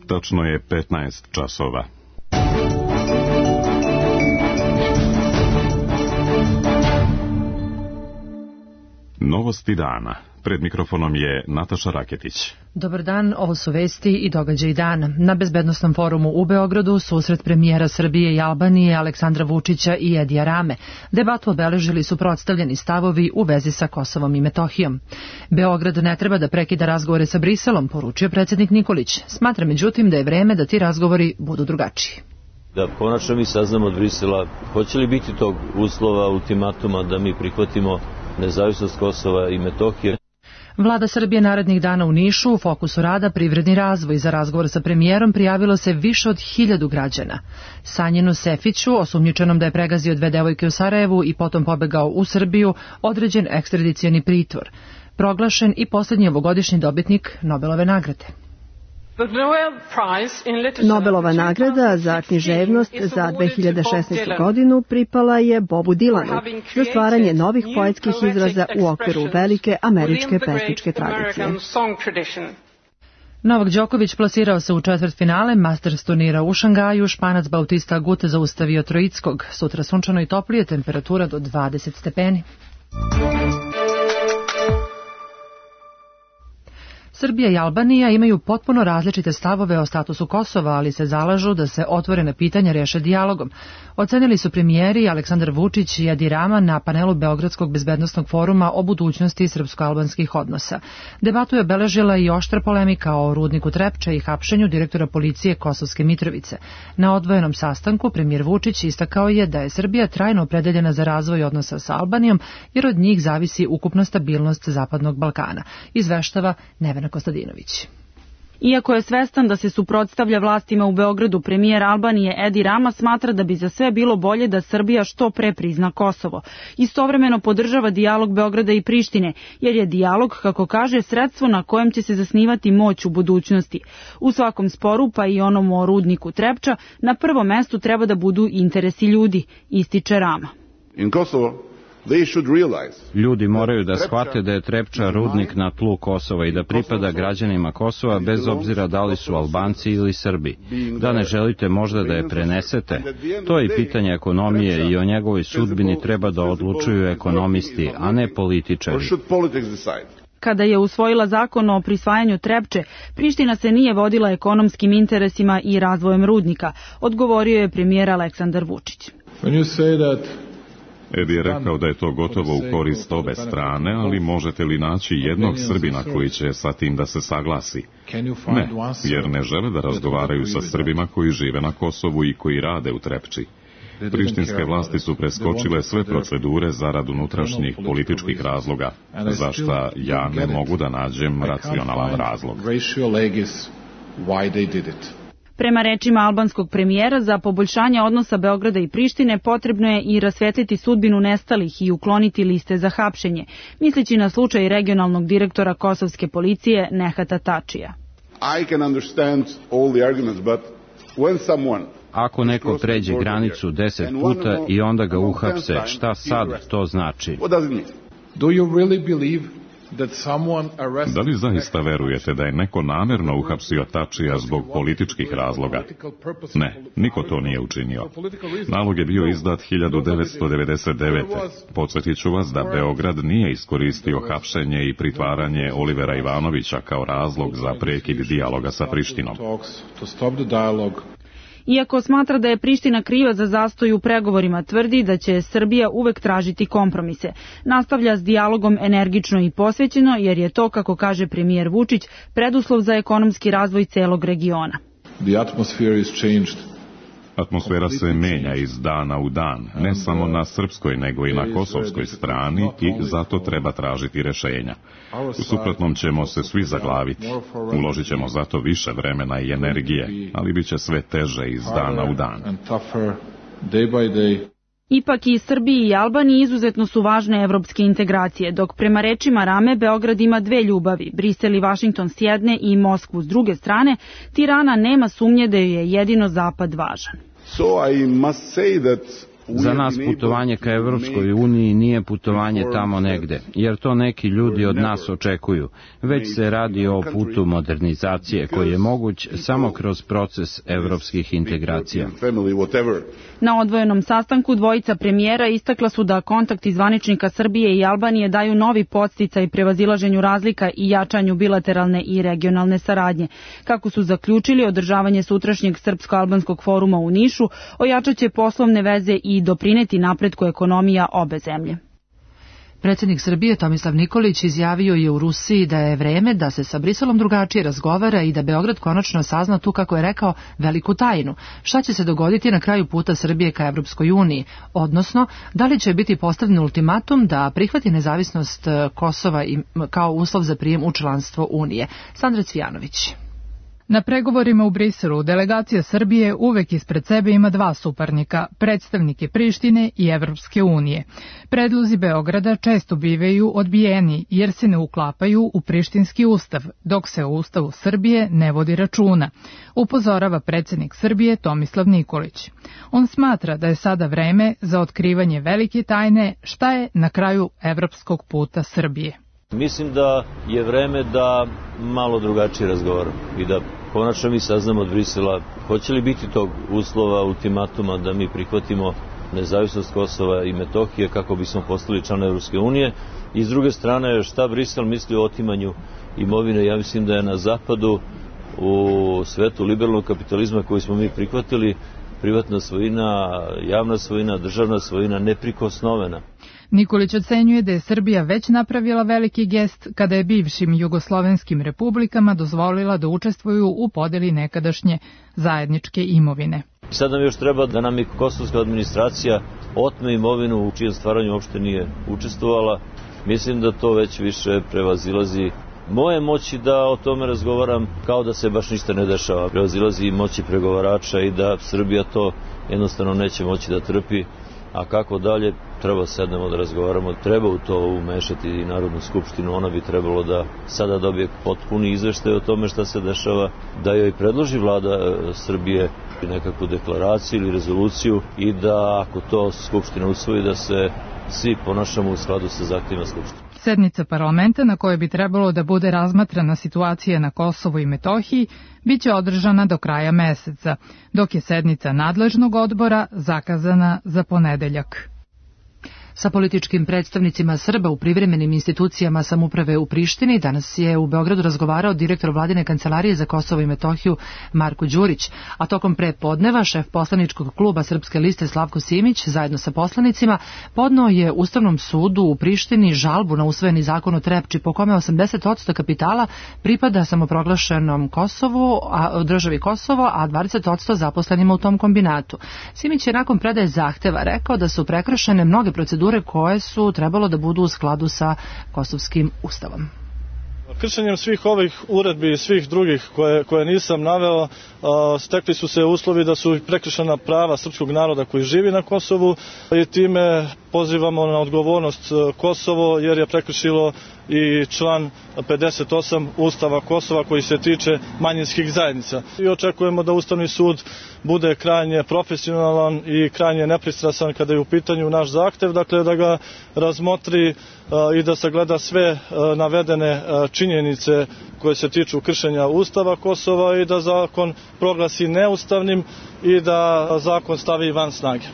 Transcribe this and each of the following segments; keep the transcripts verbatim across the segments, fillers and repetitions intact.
Tačno je petnaest časova. Novosti dana. Pred mikrofonom je Nataša Raketić. Dobar dan, ovo su vesti i događaji dana. Na bezbednosnom forumu u Beogradu susret premijera Srbije i Albanije Aleksandra Vučića i Edija Rame. Debatu obeležili su predstavljeni stavovi u vezi sa Kosovom i Metohijom. Beograd ne treba da prekida razgovore sa Briselom, poručio predsjednik Nikolić. Smatra međutim da je vreme da ti razgovori budu drugačiji. Da konačno mi saznamo od Brisela hoće li biti tog uslova, ultimatuma da mi prihvatimo nezavisnost Kosova i Metohije. Vlada Srbije narednih dana u Nišu u fokusu rada privredni razvoj. Za razgovor sa premijerom prijavilo se više od hiljadu građana. Sanjinu Sefiću, osumnjičenom da je pregazio dve devojke u Sarajevu i potom pobegao u Srbiju, određen ekstradicioni pritvor. Proglašen i posljednji ovogodišnji dobitnik Nobelove nagrade. Nobelova nagrada za književnost za dve hiljade šesnaestu. godinu pripala je Bobu Dilanu za stvaranje novih poetskih izraza u okviru velike američke pesničke tradicije. Novak Đoković plasirao se u četvrtfinale Masters turnira u Šangaju, Španac Bautista Agut zaustavio Troickog. Sutra sunčano i toplije, temperatura do dvadeset stepeni. Srbija i Albanija imaju potpuno različite stavove o statusu Kosova, ali se zalažu da se otvorena pitanja reše dijalogom. Ocenili su premijeri Aleksandar Vučić i Edi Rama na panelu Beogradskog bezbednosnog foruma o budućnosti srpsko-albanskih odnosa. Debatu je obeležila i oštra polemika o rudniku Trepča i hapšenju direktora policije Kosovske Mitrovice. Na odvojenom sastanku premijer Vučić istakao je da je Srbija trajno opredeljena za razvoj odnosa sa Albanijom, jer od njih zavisi ukupna stabilnost Zapadnog Balkana. Izveštava Nevena Kostadinović. Iako je svestan da se suprotstavlja vlastima u Beogradu, premijer Albanije Edi Rama smatra da bi za sve bilo bolje da Srbija što pre prizna Kosovo. Istovremeno podržava dijalog Beograda i Prištine, jer je dijalog, kako kaže, sredstvo na kojem će se zasnivati moć u budućnosti. U svakom sporu, pa i onom o rudniku Trepča, na prvom mestu treba da budu interesi ljudi, ističe Rama. In Kosovo Ljudi moraju da shvate da je Trepča rudnik na tlu Kosova i da pripada građanima Kosova bez obzira da li su Albanci ili Srbi. Da ne želite možda da je prenesete? To je i pitanje ekonomije i o njegovoj sudbini treba da odlučuju ekonomisti, a ne političari. Kada je usvojila zakon o prisvajanju Trepče, Priština se nije vodila ekonomskim interesima i razvojem rudnika, odgovorio je premijer Aleksandar Vučić. Edi je rekao da je to gotovo u korist obe strane, ali možete li naći jednog Srbina koji će sa tim da se saglasi? Ne, jer ne žele da razgovaraju sa Srbima koji žive na Kosovu i koji rade u Trepči. Prištinske vlasti su preskočile sve procedure zarad unutrašnjih političkih razloga, za šta ja ne mogu da nađem racionalan razlog. Prema rečima albanskog premijera, za poboljšanje odnosa Beograda i Prištine potrebno je i rasvetliti sudbinu nestalih i ukloniti liste za hapšenje, misleći na slučaj regionalnog direktora kosovske policije Nehata Tačija. Ako neko pređe granicu deset puta i onda ga uhapse, šta sad to znači? Da li zaista verujete da je neko namerno uhapsio Tačija zbog političkih razloga? Ne, niko to nije učinio. Nalog je bio izdat hiljadu devetsto devedeset devete. Podsjetit ću vas da Beograd nije iskoristio hapšenje i pritvaranje Olivera Ivanovića kao razlog za prekid dijaloga sa Prištinom. Iako smatra da je Priština kriva za zastoj u pregovorima, tvrdi da će Srbija uvek tražiti kompromise. Nastavlja s dijalogom energično i posvećeno, jer je to, kako kaže premijer Vučić, preduslov za ekonomski razvoj celog regiona. Atmosfera se menja iz dana u dan, ne samo na srpskoj nego i na kosovskoj strani i zato treba tražiti rešenja. U suprotnom ćemo se svi zaglaviti. Uložit ćemo zato više vremena i energije, ali bit će sve teže iz dana u dan. Ipak i Srbiji i Albaniji izuzetno su važne evropske integracije, dok prema rečima Rame Beograd ima dve ljubavi, Brisel i Vašington s jedne i Moskvu s druge strane, Tirana nema sumnje da joj je jedino zapad važan. So I must say that Za nas putovanje ka Evropskoj uniji nije putovanje tamo negde, jer to neki ljudi od nas očekuju, već se radi o putu modernizacije koji je moguć samo kroz proces evropskih integracija. Na odvojenom sastanku dvojica premijera istakla su da kontakti zvaničnika Srbije i Albanije daju novi podsticaj prevazilaženju razlika i jačanju bilateralne i regionalne saradnje. Kako su zaključili, održavanje sutrašnjeg srpsko-albanskog foruma u Nišu ojačaće poslovne veze i doprineti napretku ekonomija obe zemlje. Predsjednik Srbije Tomislav Nikolić izjavio je u Rusiji da je vreme da se sa Briselom drugačije razgovara i da Beograd konačno sazna tu, kako je rekao, veliku tajnu. Šta će se dogoditi na kraju puta Srbije ka Evropskoj uniji? Odnosno, da li će biti postavljen ultimatum da prihvati nezavisnost Kosova kao uslov za prijem u članstvo Unije? Sandra Cvijanović. Na pregovorima u Briselu delegacija Srbije uvek ispred sebe ima dva suparnika, predstavnike Prištine i Evropske unije. Predlozi Beograda često bivaju odbijeni jer se ne uklapaju u prištinski ustav, dok se u ustavu Srbije ne vodi računa, upozorava predsjednik Srbije Tomislav Nikolić. On smatra da je sada vreme za otkrivanje velike tajne šta je na kraju evropskog puta Srbije. Mislim da je vreme da malo drugačije razgovaramo i da konačno mi saznamo od Brisela hoće li biti tog uslova, ultimatuma da mi prihvatimo nezavisnost Kosova i Metohije kako bismo postali član Evropske unije, i s druge strane šta Brisel misli o otimanju imovine. Ja mislim da je na zapadu, u svetu liberalnog kapitalizma koji smo mi prihvatili, privatna svojina, javna svojina, državna svojina neprikosnovena. Nikolić ocenjuje da je Srbija već napravila veliki gest kada je bivšim jugoslovenskim republikama dozvolila da učestvuju u podeli nekadašnje zajedničke imovine. Sad nam još treba da nam i kosovska administracija otme imovinu u čijem stvaranju uopšte nije učestvovala. Mislim da to već više prevazilazi moje moći da o tome razgovaram kao da se baš ništa ne dešava. Prevazilazi i moći pregovarača i da Srbija to jednostavno neće moći da trpi. A kako dalje, treba sednemo da razgovaramo, treba u to umešati i Narodnu skupštinu, ona bi trebalo da sada dobije potpuni izveštaj o tome šta se dešava, da joj predloži vlada Srbije nekakvu deklaraciju ili rezoluciju i da ako to skupština usvoji da se svi ponašamo u skladu sa zahtjevima skupštine. Sednica parlamenta na kojoj bi trebalo da bude razmatrana situacija na Kosovu i Metohiji biće održana do kraja meseca, dok je sednica nadležnog odbora zakazana za ponedeljak. Sa političkim predstavnicima Srba u privremenim institucijama samouprave u Prištini danas je u Beogradu razgovarao direktor vladine kancelarije za Kosovo i Metohiju Marko Đurić, a tokom prepodneva šef poslaničkog kluba Srpske liste Slavko Simić zajedno sa poslanicima podneo je Ustavnom sudu u Prištini žalbu na usvojeni zakon o Trepči po kome osamdeset posto kapitala pripada samoproglašenom Kosovu, a državi Kosovo, a dvadeset posto zaposlenima u tom kombinatu. Simić je nakon predaje zahteva rekao da su prekršene mnoge procedure koje su trebalo da budu u skladu sa kosovskim ustavom. Kršenjem svih ovih uredbi i svih drugih koje, koje nisam naveo, stekli su se uslovi da su prekršena prava srpskog naroda koji živi na Kosovu i time pozivamo na odgovornost Kosovo jer je prekršilo i član pedeset osam Ustava Kosova koji se tiče manjinskih zajednica. I očekujemo da Ustavni sud bude krajnje profesionalan i krajnje nepristrasan kada je u pitanju naš zahtev, dakle da ga razmotri i da sagleda sve navedene činjenice koje se tiču kršenja Ustava Kosova i da zakon proglasi neustavnim i da zakon stavi van snage.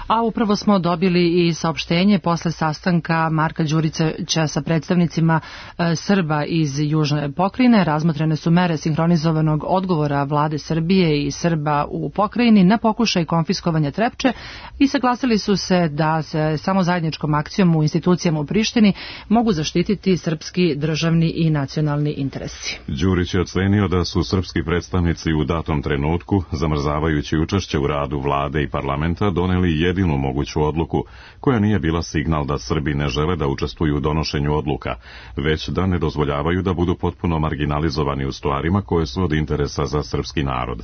A upravo smo dobili i saopštenje posle sastanka Marka Đurića sa predstavnicima e, Srba iz Južne pokrajine. Razmotrene su mere sinhronizovanog odgovora vlade Srbije i Srba u pokrajini na pokušaj konfiskovanja Trepče i saglasili su se da se samo zajedničkom akcijom u institucijama u Prištini mogu zaštititi srpski državni i nacionalni interesi. Đurić je ocenio da su srpski predstavnici u datom trenutku, zamrzavajući učešće u radu vlade i parlamenta, doneli jedinu moguću odluku, koja nije bila signal da Srbi ne žele da učestvuju u donošenju odluka, već da ne dozvoljavaju da budu potpuno marginalizovani u stvarima koje su od interesa za srpski narod.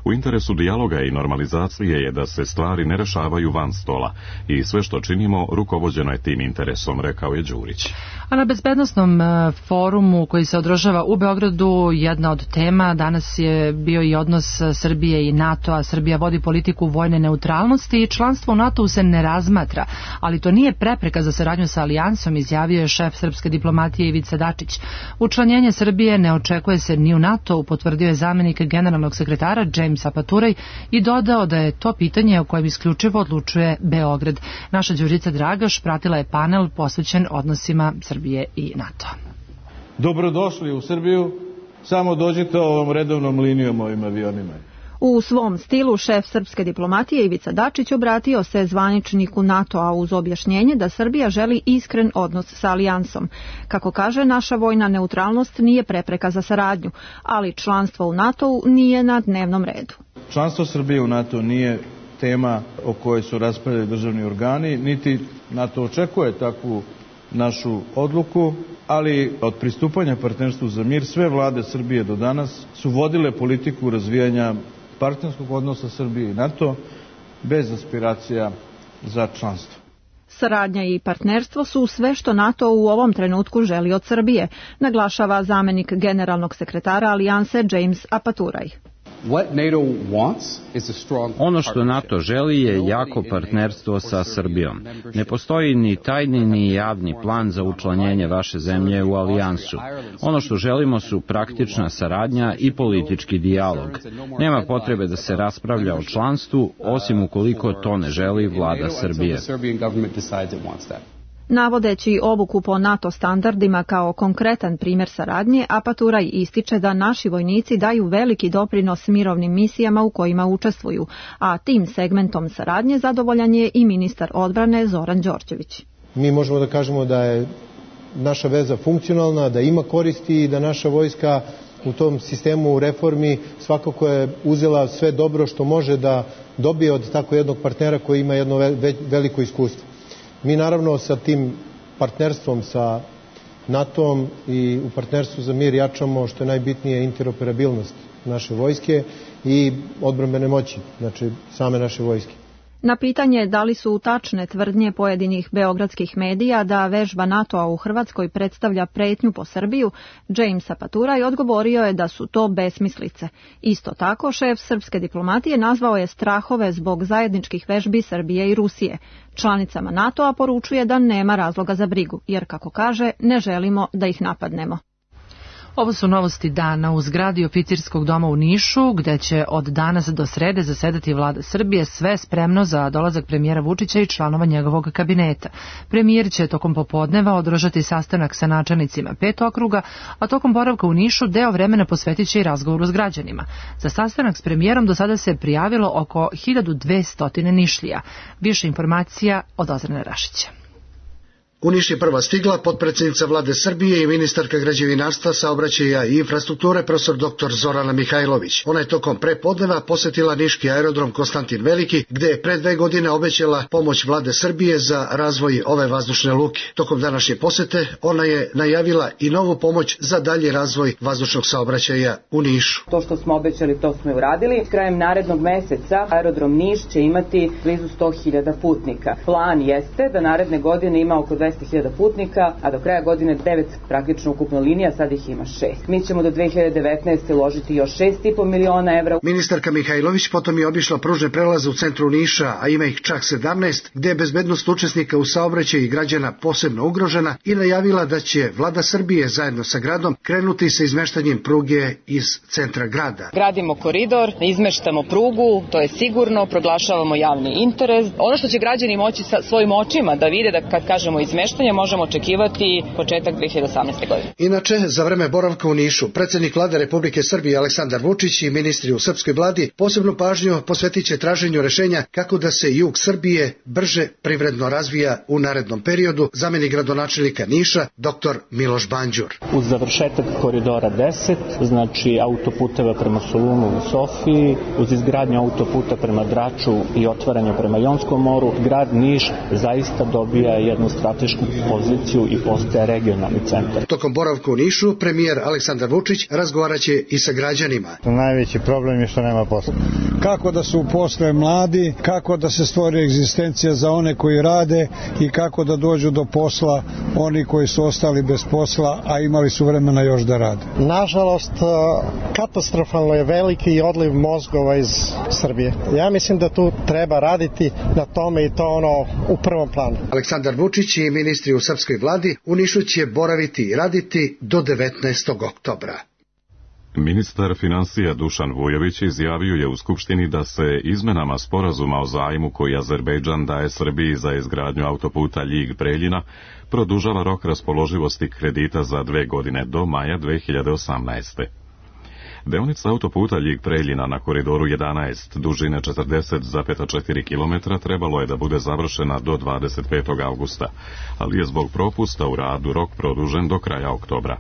U interesu dijaloga i normalizacije je da se stvari ne rešavaju van stola i sve što činimo rukovođeno je tim interesom, rekao je Đurić. A na bezbednosnom forumu koji se održava u Beogradu, jedna od tema danas je bio i odnos Srbije i NATO, a Srbija vodi politiku vojne neutralnosti i članstvo u NATO-u se ne razmatra, ali to nije prepreka za saradnju sa alijansom, izjavio je šef srpske diplomatije Ivica Dačić. Učlanjenje Srbije ne očekuje se ni u NATO-u, potvrdio je zamenik generalnog sekretara James Apaturaj i dodao da je to pitanje o kojem isključivo odlučuje Beograd. Naša Đurica Dragaš pratila je panel posvećen odnosima Srbije i NATO. Dobrodošli u Srbiju, samo dođite ovom redovnom linijom ovim avionima. U svom stilu šef srpske diplomatije Ivica Dačić obratio se zvaničniku NATO-a uz objašnjenje da Srbija želi iskren odnos sa alijansom. Kako kaže, naša vojna neutralnost nije prepreka za saradnju, ali članstvo u NATO-u nije na dnevnom redu. Članstvo Srbije u NATO nije tema o kojoj su raspravljali državni organi, niti NATO očekuje takvu našu odluku, ali od pristupanja partnerstvu za mir sve vlade Srbije do danas su vodile politiku razvijanja partnerskog odnosa Srbije i NATO bez aspiracija za članstvo. Saradnja i partnerstvo su sve što NATO u ovom trenutku želi od Srbije, naglašava zamenik generalnog sekretara alijanse James Apaturaj. Ono što NATO želi je jako partnerstvo sa Srbijom. Ne postoji ni tajni ni javni plan za učlanjenje vaše zemlje u alijansu. Ono što želimo su praktična saradnja i politički dijalog. Nema potrebe da se raspravlja o članstvu, osim ukoliko to ne želi vlada Srbije. Navodeći obuku po NATO standardima kao konkretan primjer saradnje, Apaturaj ističe da naši vojnici daju veliki doprinos mirovnim misijama u kojima učestvuju, a tim segmentom saradnje zadovoljan je i ministar odbrane Zoran Đorđević. Mi možemo da kažemo da je naša veza funkcionalna, da ima koristi i da naša vojska u tom sistemu reformi svakako je uzela sve dobro što može da dobije od tako jednog partnera koji ima jedno veliko iskustvo. Mi naravno sa tim partnerstvom sa NATO-om i u partnerstvu za mir jačamo što je najbitnije interoperabilnost naše vojske i odbrambene moći, znači same naše vojske. Na pitanje da li su tačne tvrdnje pojedinih beogradskih medija da vežba NATO-a u Hrvatskoj predstavlja pretnju po Srbiju, James Apaturaj odgovorio je da su to besmislice. Isto tako, šef srpske diplomatije nazvao je strahove zbog zajedničkih vežbi Srbije i Rusije. Članicama NATO-a poručuje da nema razloga za brigu, jer, kako kaže, ne želimo da ih napadnemo. Ovo su novosti dana u zgradi oficirskog doma u Nišu, gde će od danas do srede zasedati vlada Srbije, sve spremno za dolazak premijera Vučića i članova njegovog kabineta. Premijer će tokom popodneva održati sastanak sa načelnicima pet okruga, a tokom boravka u Nišu deo vremena posvetit će i razgovoru s građanima. Za sastanak s premijerom do sada se prijavilo oko hiljadu dvesta Nišlija. Više informacija od Ozrene Rašića. U Niš je prva stigla potpredsjednica vlade Srbije i ministarka građevinarstva, saobraćaja i infrastrukture profesor doktor Zorana Mihajlović. Ona je tokom prepodneva posjetila niški aerodrom Konstantin Veliki, gde je pre dve godine obećala pomoć vlade Srbije za razvoj ove vazdušne luke. Tokom današnje posete ona je najavila i novu pomoć za dalji razvoj vazdušnog saobraćaja u Nišu. To što smo obećali, to smo i uradili. Krajem narednog meseca aerodrom Niš će imati blizu sto hiljada putnika. Plan jeste da naredne godine ima oko dvesta hiljada putnika, a do kraja godine devet praktično ukupno linija, sad ih ima šest. Mi ćemo do dve hiljade devetnaeste. uložiti još šest i po miliona evra. Ministarka Mihajlović potom je obišla pružne prelaze u centru Niša, a ima ih čak sedamnaest, gde je bezbednost učesnika u saobraćaju i građana posebno ugrožena i najavila da će vlada Srbije zajedno sa gradom krenuti sa izmeštanjem pruge iz centra grada. Gradimo koridor, izmeštamo prugu, to je sigurno, proglašavamo javni interes. Ono što će građani moći sa svojim očima da vide, da kad kažemo izmeštanje, možemo očekivati početak dve hiljade osamnaeste. godine. Inače, za vreme boravka u Nišu, predsjednik vlade Republike Srbije Aleksandar Vučić i ministri u srpskoj vladi posebnu pažnju posvetit će traženju rešenja kako da se jug Srbije brže privredno razvija u narednom periodu, zamenik gradonačelnika Niša, doktor Miloš Banđur. Uz završetak koridora deset, znači autoputeva prema Solunu i Sofiji, uz izgradnju autoputa prema Draču i otvaranje prema Jonskom moru, grad Niš zaista dobija jednu stratešku stratešku poziciju i postaje regionalni centar. Tokom boravka u Nišu, premijer Aleksandar Vučić razgovaraće i sa građanima. Najveći problem je što nema posla. Kako da se uposle mladi, kako da se stvori egzistencija za one koji rade i kako da dođu do posla oni koji su ostali bez posla, a imali su vremena još da rade. Nažalost, katastrofalno je veliki odliv mozgova iz Srbije. Ja mislim da tu treba raditi na tome i to ono u prvom planu. Aleksandar Vučić i ministri u srpskoj vladi u Nišu će boraviti i raditi do devetnaestog oktobra. Ministar financija Dušan Vujović izjavio je u Skupštini da se izmenama sporazuma o zajmu koji Azerbejdžan daje Srbiji za izgradnju autoputa Ljig-Preljina produžava rok raspoloživosti kredita za dve godine do maja dve hiljade osamnaeste. Deonica autoputa Ljig-Preljina na koridoru jedanaest, dužine četrdeset zarez četiri kilometra, trebalo je da bude završena do dvadeset petog avgusta, ali je zbog propusta u radu rok produžen do kraja oktobra.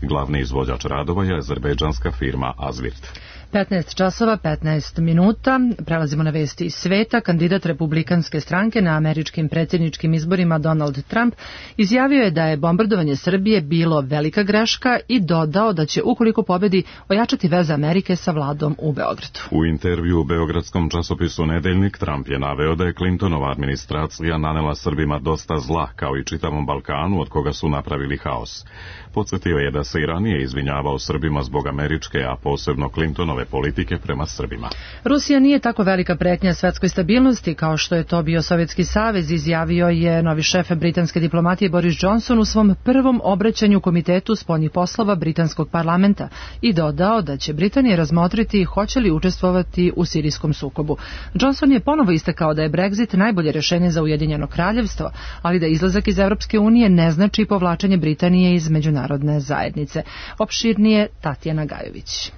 Glavni izvođač radova je azerbejdžanska firma Azvirt. petnaest časova petnaest minuta. Prelazimo na vesti iz sveta. Kandidat Republikanske stranke na američkim predsjedničkim izborima Donald Trump izjavio je da je bombardovanje Srbije bilo velika greška i dodao da će, ukoliko pobedi, ojačati veze Amerike sa vladom u Beogradu. U intervju u beogradskom časopisu Nedeljnik Trump je naveo da je Clintonova administracija nanela Srbima dosta zla, kao i čitavom Balkanu, od koga su napravili haos. Podsjetio je da se i ranije izvinjavao Srbima zbog američke, a posebno Clintonove politike prema Srbima. Rusija nije tako velika pretnja svetskoj stabilnosti kao što je to bio Sovjetski savez, izjavio je novi šef britanske diplomatije Boris Johnson u svom prvom obraćanju Komitetu spoljnih poslova britanskog parlamenta i dodao da će Britanija razmotriti hoće li učestvovati u sirijskom sukobu. Johnson je ponovo istakao da je Brexit najbolje rješenje za Ujedinjeno kraljevstvo, ali da izlazak iz Evropske unije ne znači povlačenje Britanije iz međunarodne zajednice. Opširnije Tatjana Gajović.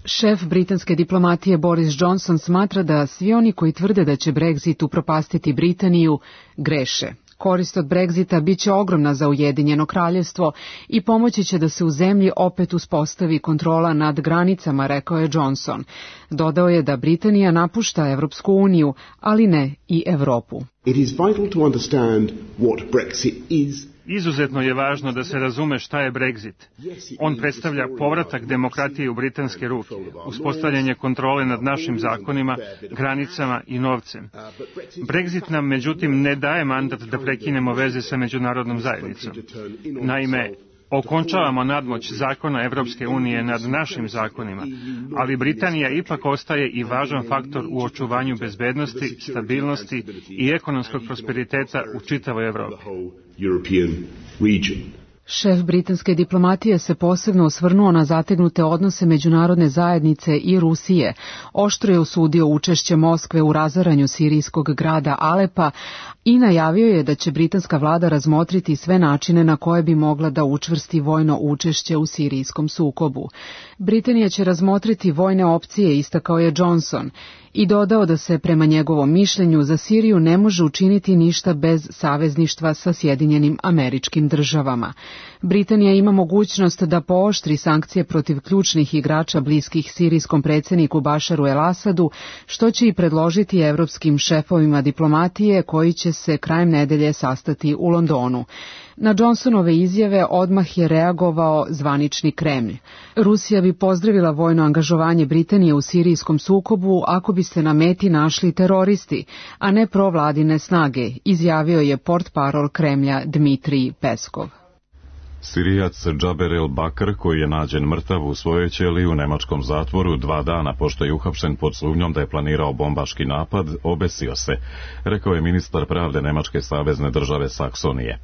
Šef britanske diplomatije Boris Johnson smatra da svi oni koji tvrde da će Brexit upropastiti Britaniju greše. Korist od Brexita bit će ogromna za Ujedinjeno kraljevstvo i pomoći će da se u zemlji opet uspostavi kontrola nad granicama, rekao je Johnson. Dodao je da Britanija napušta Evropsku uniju, ali ne i Evropu. It is vital to understand what Brexit is. Izuzetno je važno da se razume šta je Brexit. On predstavlja povratak demokratije u britanske ruke, uspostavljanje kontrole nad našim zakonima, granicama i novcem. Brexit nam, međutim, ne daje mandat da prekinemo veze sa međunarodnom zajednicom. Naime, okončavamo nadmoć zakona Evropske unije nad našim zakonima, ali Britanija ipak ostaje i važan faktor u očuvanju bezbednosti, stabilnosti i ekonomskog prosperiteta u čitavoj Evropi. Šef britanske diplomatije se posebno osvrnuo na zategnute odnose međunarodne zajednice i Rusije, oštro je osudio učešće Moskve u razaranju sirijskog grada Alepa i najavio je da će britanska vlada razmotriti sve načine na koje bi mogla da učvrsti vojno učešće u sirijskom sukobu. Britanija će razmotriti vojne opcije, istakao je Johnson, i dodao da se prema njegovom mišljenju za Siriju ne može učiniti ništa bez savezništva sa Sjedinjenim Američkim Državama. Britanija ima mogućnost da pooštri sankcije protiv ključnih igrača bliskih sirijskom predsjedniku Bašaru el-Asadu, što će i predložiti evropskim šefovima diplomatije koji će se krajem nedelje sastati u Londonu. Na Johnsonove izjave odmah je reagovao zvanični Kremlj. Rusija bi pozdravila vojno angažovanje Britanije u sirijskom sukobu ako bi se na meti našli teroristi, a ne provladine snage, izjavio je portparol Kremlja Dmitrij Peskov. Sirijac Džaber el-Bakr, koji je nađen mrtav u svojoj ćeliji u nemačkom zatvoru dva dana pošto je uhapšen pod sumnjom da je planirao bombaški napad, obesio se, rekao je ministar pravde Nemačke savezne države Saksonije.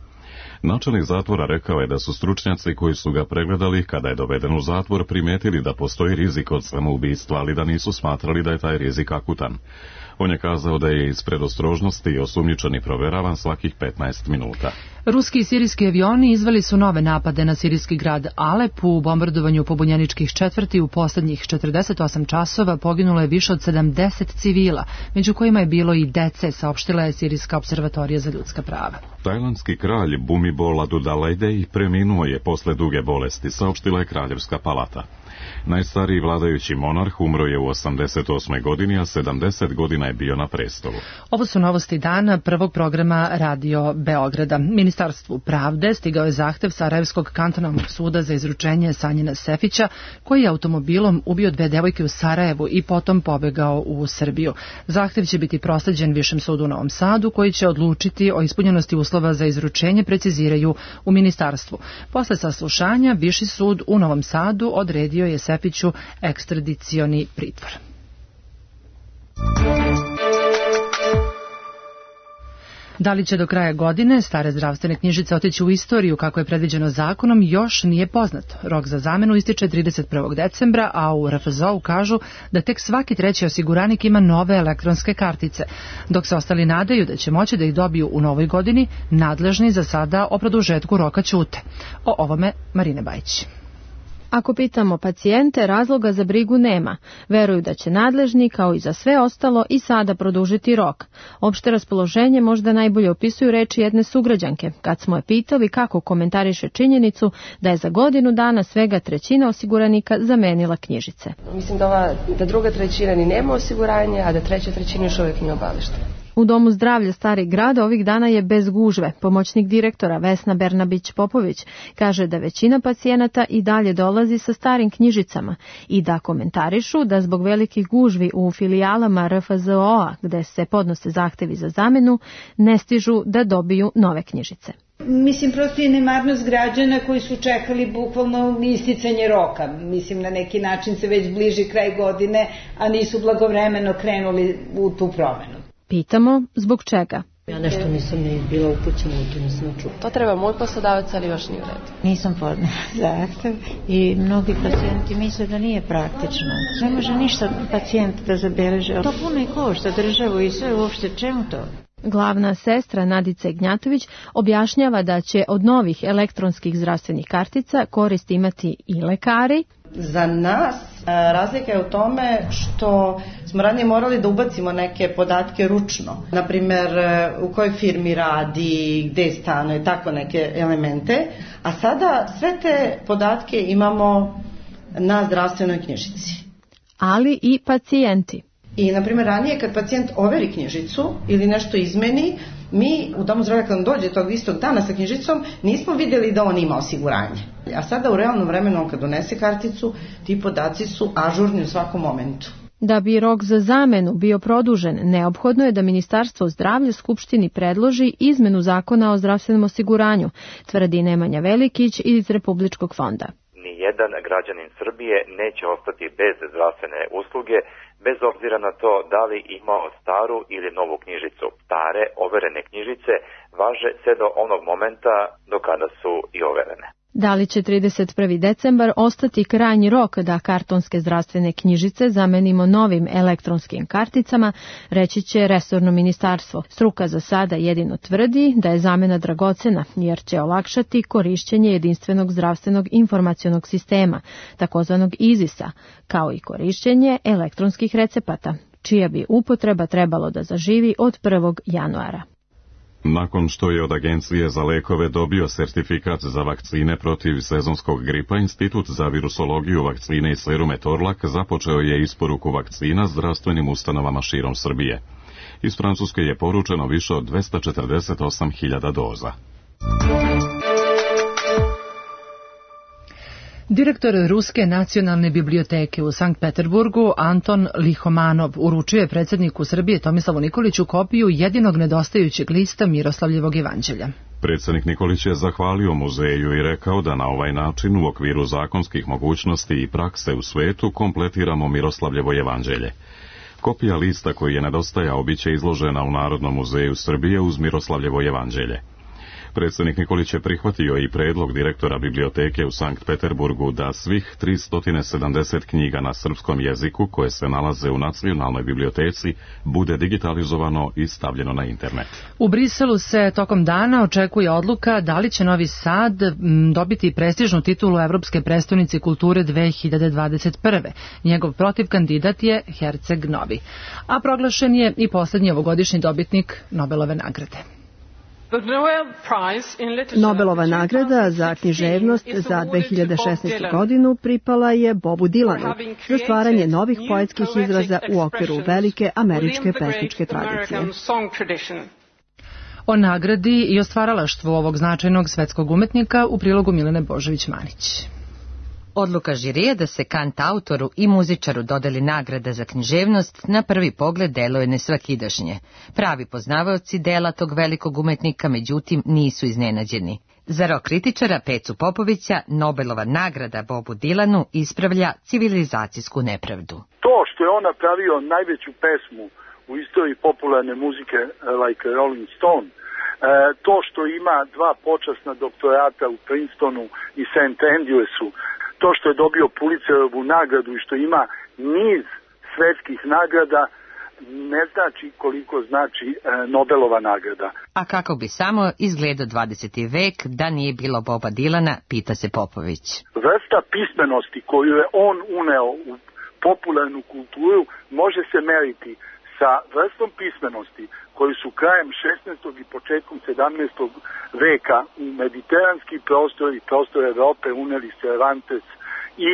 Načelnik zatvora rekao je da su stručnjaci koji su ga pregledali kada je doveden u zatvor primetili da postoji rizik od samoubistva, ali da nisu smatrali da je taj rizik akutan. On je kazao da je iz predostrožnosti osumnjičeni proveravan svakih petnaest minuta. Ruski i sirijski avioni izveli su nove napade na sirijski grad Alep. U bombardovanju pobunjeničkih četvrti u posljednjih četrdeset osam časova poginulo je više od sedamdeset civila, među kojima je bilo i dece, saopštila je Sirijska observatorija za ljudska prava. Tajlandski kralj Bhumibol Adulyadej preminuo je posle duge bolesti, saopštila je Kraljevska palata. Najstariji vladajući monarh umro je u osamdeset osmoj godini, a sedamdeset godina je bio na prestolu. Ovo su novosti dana prvog programa Radio Beograda. Ministarstvu pravde stigao je zahtev Sarajevskog kantonalnog suda za izručenje Sanjina Sefića, koji je automobilom ubio dve devojke u Sarajevu i potom pobegao u Srbiju. Zahtev će biti prosleđen Višem sudu u Novom Sadu, koji će odlučiti o ispunjenosti uslova za izručenje, preciziraju u ministarstvu. Posle saslušanja, Viši sud u Novom Sadu odredio je Sefiću ekstradicioni pritvor. Da li će do kraja godine stare zdravstvene knjižice otići u istoriju kako je predviđeno zakonom, još nije poznato. Rok za zamenu ističe trideset prvog decembra, a u R F Z O kažu da tek svaki treći osiguranik ima nove elektronske kartice. Dok se ostali nadaju da će moći da ih dobiju u novoj godini, nadležni za sada o produžetku roka ćute. O ovome Marine Bajić. Ako pitamo pacijente, razloga za brigu nema. Veruju da će nadležni, kao i za sve ostalo, i sada produžiti rok. Opšte raspoloženje možda najbolje opisuju reči jedne sugrađanke, kad smo je pitali kako komentariše činjenicu da je za godinu dana svega trećina osiguranika zamenila knjižice. Mislim da, ova, da druga trećina ni nema osiguranje, a da treća trećina još uvijek nije obaveštena. U Domu zdravlja Starih grada ovih dana je bez gužve. Pomoćnik direktora Vesna Bernabić-Popović kaže da većina pacijenata i dalje dolazi sa starim knjižicama i da komentarišu da zbog velikih gužvi u filijalama R F Z O-a gde se podnose zahtevi za zamenu ne stižu da dobiju nove knjižice. Mislim, prosto je nemarnost građana koji su čekali bukvalno isticanje roka. Mislim, na neki način se već bliži kraj godine, a nisu blagovremeno krenuli u tu promenu. Pitamo zbog čega. Ja nešto nisam ni bila upućena u to, nisam čula. To treba moj poslodavac, ali još nije u redu. Nisam podnela zahtev i mnogi pacijenti misle da nije praktično. Ne može ništa pacijent da zabeleže. To puno i košta državu i sve uopšte, čemu to? Glavna sestra Nadica Ignjatović objašnjava da će od novih elektronskih zdravstvenih kartica korist imati i lekari. Za nas razlika je u tome što smo ranije morali da ubacimo neke podatke ručno. Naprimer, u kojoj firmi radi, gde stanuje, tako neke elemente. A sada sve te podatke imamo na zdravstvenoj knjižici. Ali i pacijenti. I, na primjer, ranije kad pacijent overi knjižicu ili nešto izmeni, mi u domu zdravlja kad nam dođe tog istog dana sa knjižicom nismo vidjeli da on ima osiguranje. A sada u realnom vremenu kad donese karticu, ti podaci su ažurni u svakom momentu. Da bi rok za zamenu bio produžen, neophodno je da Ministarstvo zdravlja Skupštini predloži izmenu zakona o zdravstvenom osiguranju, tvrdi Nemanja Velikić iz Republičkog fonda. Nijedan građanin Srbije neće ostati bez zdravstvene usluge, bez obzira na to da li imao staru ili novu knjižicu. Stare, overene knjižice važe sve do onog momenta do kada su i overene. Da li će trideset prvi decembar ostati krajnji rok da kartonske zdravstvene knjižice zamenimo novim elektronskim karticama, reći će resorno ministarstvo. Struka za sada jedino tvrdi da je zamena dragocena, jer će olakšati korišćenje jedinstvenog zdravstvenog informacionog sistema, takozvanog izisa, kao i korišćenje elektronskih recepata, čija bi upotreba trebalo da zaživi od prvog januara. Nakon što je od Agencije za lekove dobio sertifikat za vakcine protiv sezonskog gripa, Institut za virusologiju, vakcine i serume Torlak započeo je isporuku vakcina zdravstvenim ustanovama širom Srbije. Iz Francuske je poručeno više od dvesta četrdeset osam hiljada doza. Direktor Ruske nacionalne biblioteke u Sankt Peterburgu Anton Lihomanov uručio je predsjedniku Srbije Tomislavu Nikoliću kopiju jedinog nedostajućeg lista Miroslavljevog evanđelja. Predsjednik Nikolić je zahvalio muzeju i rekao da na ovaj način u okviru zakonskih mogućnosti i prakse u svetu kompletiramo Miroslavljevo evanđelje. Kopija lista koji je nedostajao biće izložena u Narodnom muzeju Srbije uz Miroslavljevo evanđelje. Predsjednik Nikolić je prihvatio i predlog direktora biblioteke u Sankt Peterburgu da svih tristo sedamdeset knjiga na srpskom jeziku koje se nalaze u nacionalnoj biblioteci bude digitalizovano i stavljeno na internet. U Briselu se tokom dana očekuje odluka da li će Novi Sad dobiti prestižnu titulu Evropske prestonice kulture dve hiljade dvadeset prve. Njegov protiv kandidat je Herceg Novi. A proglašen je i posljednji ovogodišnji dobitnik Nobelove nagrade. Nobelova nagrada za književnost za dve hiljade šesnaestu. godinu pripala je Bobu Dilanu za stvaranje novih poetskih izraza u okviru velike američke pesničke tradicije. O nagradi i o stvaralaštvu ovog značajnog svetskog umetnika u prilogu Milene Božović-Manić. Odluka žirije da se kant autoru i muzičaru dodeli nagrada za književnost na prvi pogled deluje nesvakidašnje. Pravi poznavaoci dela tog velikog umetnika, međutim, nisu iznenađeni. Za rok kritičara Pecu Popovića, Nobelova nagrada Bobu Dilanu ispravlja civilizacijsku nepravdu. To što je on napravio najveću pesmu u istoriji popularne muzike, like Rolling Stone, to što ima dva počasna doktorata u Princetonu i Saint Andrewsu, to što je dobio Pulitzerovu nagradu i što ima niz svetskih nagrada, ne znači koliko znači e, Nobelova nagrada. A kako bi samo izgledao dvadeseti vek da nije bilo Boba Dilana, pita se Popović. Vrsta pismenosti koju je on uneo u popularnu kulturu može se meriti sa vrstom pismenosti koju su krajem šesnaestog i početkom sedamnaestog veka u mediteranski prostor i prostor Evrope uneli Cervantes i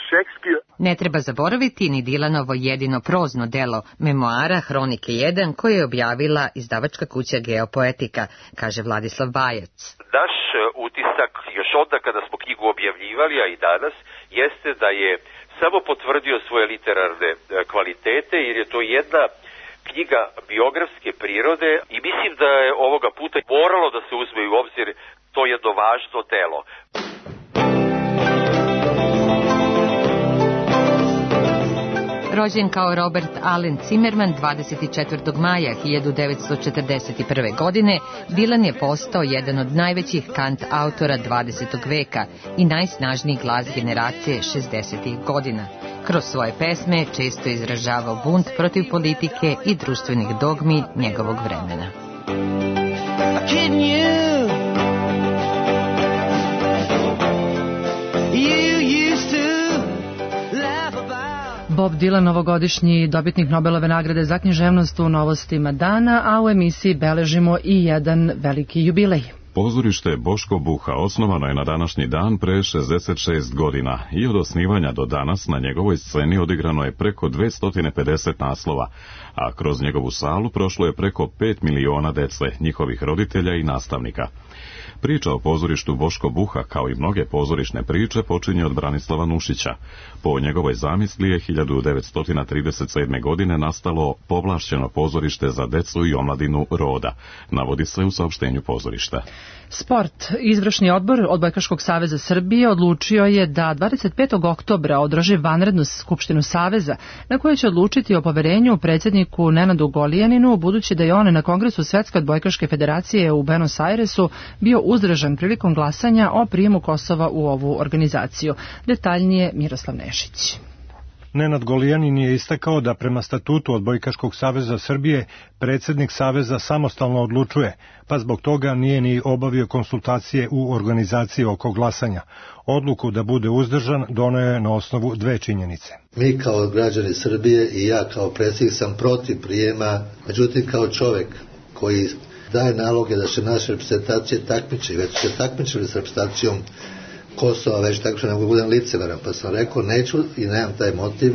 Šekspir. Ne treba zaboraviti ni Dilanovo jedino prozno delo memoara Hronike jedan koje je objavila izdavačka kuća Geopoetika, kaže Vladislav Bajac. Naš utisak još onda kada smo knjigu objavljivali, a i danas, jeste da je samo potvrdio svoje literarne kvalitete, jer je to jedna knjiga biografske prirode i mislim da je ovoga puta moralo da se uzme u obzir to jedno važno delo. Rođen kao Robert Allen Zimmerman dvadeset četvrtog maja hiljadu devetsto četrdeset prve. godine, Dylan je postao jedan od najvećih kant autora dvadesetog veka i najsnažniji glas generacije šezdesetih godina. Kroz svoje pesme često izražavao bunt protiv politike i društvenih dogmi njegovog vremena. Bob Dylan, novogodišnji dobitnik Nobelove nagrade za književnost u novostima dana, a u emisiji beležimo i jedan veliki jubilej. Pozorište Boško Buha osnovano je na današnji dan pre šezdeset šest godina i od osnivanja do danas na njegovoj sceni odigrano je preko dvesta pedeset naslova, a kroz njegovu salu prošlo je preko pet miliona dece, njihovih roditelja i nastavnika. Priča o pozorištu Boško Buha, kao i mnoge pozorišne priče, počinje od Branislava Nušića. Po njegovoj zamisli je hiljadu devetsto trideset sedme. godine nastalo povlašćeno pozorište za decu i omladinu Roda, navodi se u saopštenju pozorišta. Sport. Izvršni odbor Odbojkaškog saveza Srbije odlučio je da dvadeset petog oktobra održi vanrednu skupštinu saveza, na kojoj će odlučiti o poverenju predsjedniku Nenadu Golijaninu, budući da je on na Kongresu Svetske odbojkaške federacije u Buenos Airesu bio uzdržan prilikom glasanja o prijemu Kosova u ovu organizaciju. Detaljnije Miroslav Nešić. Nenad Golijanin je istakao da prema statutu Odbojkaškog saveza Srbije predsjednik saveza samostalno odlučuje, pa zbog toga nije ni obavio konsultacije u organizaciji oko glasanja. Odluku da bude uzdržan doneo je na osnovu dve činjenice. Mi kao građani Srbije i ja kao predsjednik sam protiv prijema, međutim kao čovjek koji daje naloge da se naše reprezentacije takmiče, već se takmičili s reprezentacijom Kosova, već tako što ne mogu budem licemeran, pa sam rekao neću i nemam taj motiv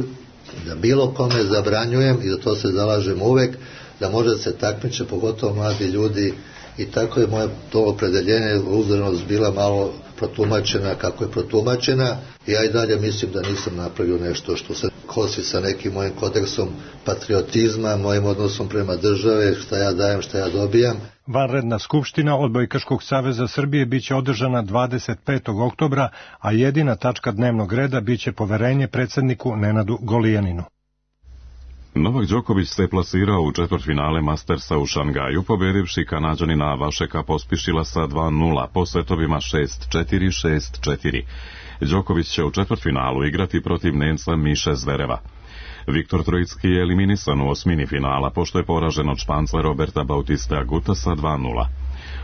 da bilo kome zabranjujem i da to se zalažem uvek, da može da se takmiče, pogotovo mladi ljudi, i tako je moje to opredeljenje, uzdržanost bila malo protumačena kako je protumačena. Ja i dalje mislim da nisam napravio nešto što se kosi sa nekim mojim kodeksom patriotizma, mojim odnosom prema države, šta ja dajem, šta ja dobijam. Vanredna skupština Odbojkaškog saveza Srbije biće održana dvadeset petog oktobra, a jedina tačka dnevnog reda biće poverenje predsjedniku Nenadu Golijaninu. Novak Đoković se plasirao u četvrtfinale Mastersa u Šangaju, pobedivši Kanađanina Vašeka Pospišila sa dva nula po setovima šest četiri šest četiri. Đoković će u četvrtfinalu igrati protiv Nemca Miše Zvereva. Viktor Trojicki je eliminisan u osmini finala, pošto je poražen od Španca Roberta Bautista Aguta sa dva nula.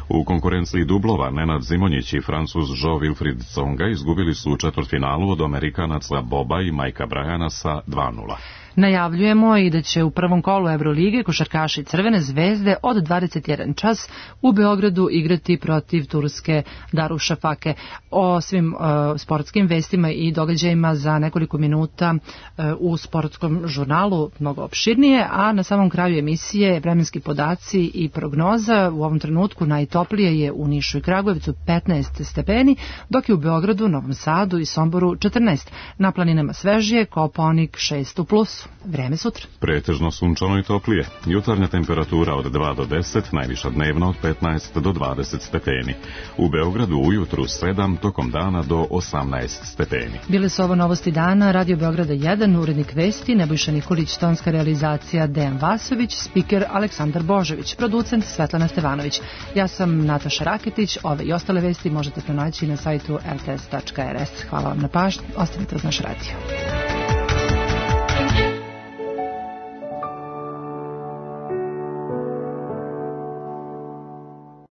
U konkurenciji dublova Nenad Zimonjić i Francuz Jo-Wilfried Tsonga izgubili su u četvrtfinalu od Amerikanaca Boba i Majka Brajana sa dva nula. Najavljujemo i da će u prvom kolu Evrolige košarkaši Crvene zvezde od dvadeset jedan čas u Beogradu igrati protiv turske Darušafake. O svim uh, sportskim vestima i događajima za nekoliko minuta uh, u sportskom žurnalu mnogo opširnije, a na samom kraju emisije vremenski podaci i prognoza. U ovom trenutku najtoplije je u Nišu i Kragujevcu petnaest stepeni, dok je u Beogradu, Novom Sadu i Somboru četrnaest. Na planinama svežije, Kopaonik šest u plusu. Vreme sutra. Pretežno sunčano i toplije. Jutarnja temperatura od dva do deset, najviša dnevna od petnaest do dvadeset stepeni. U Beogradu ujutru sedam, tokom dana do osamnaest stepeni. Bile su ovo novosti dana, Radio Beograda jedan, urednik vesti Nebojša Nikolić, tonska realizacija Dejan Vasović, spiker Aleksandar Božović, producent Svetlana Stevanović. Ja sam Nataša Raketić, ove i ostale vesti možete pronaći na sajtu r t s tačka r s. Hvala vam na pažnji, ostanite uz naš radio.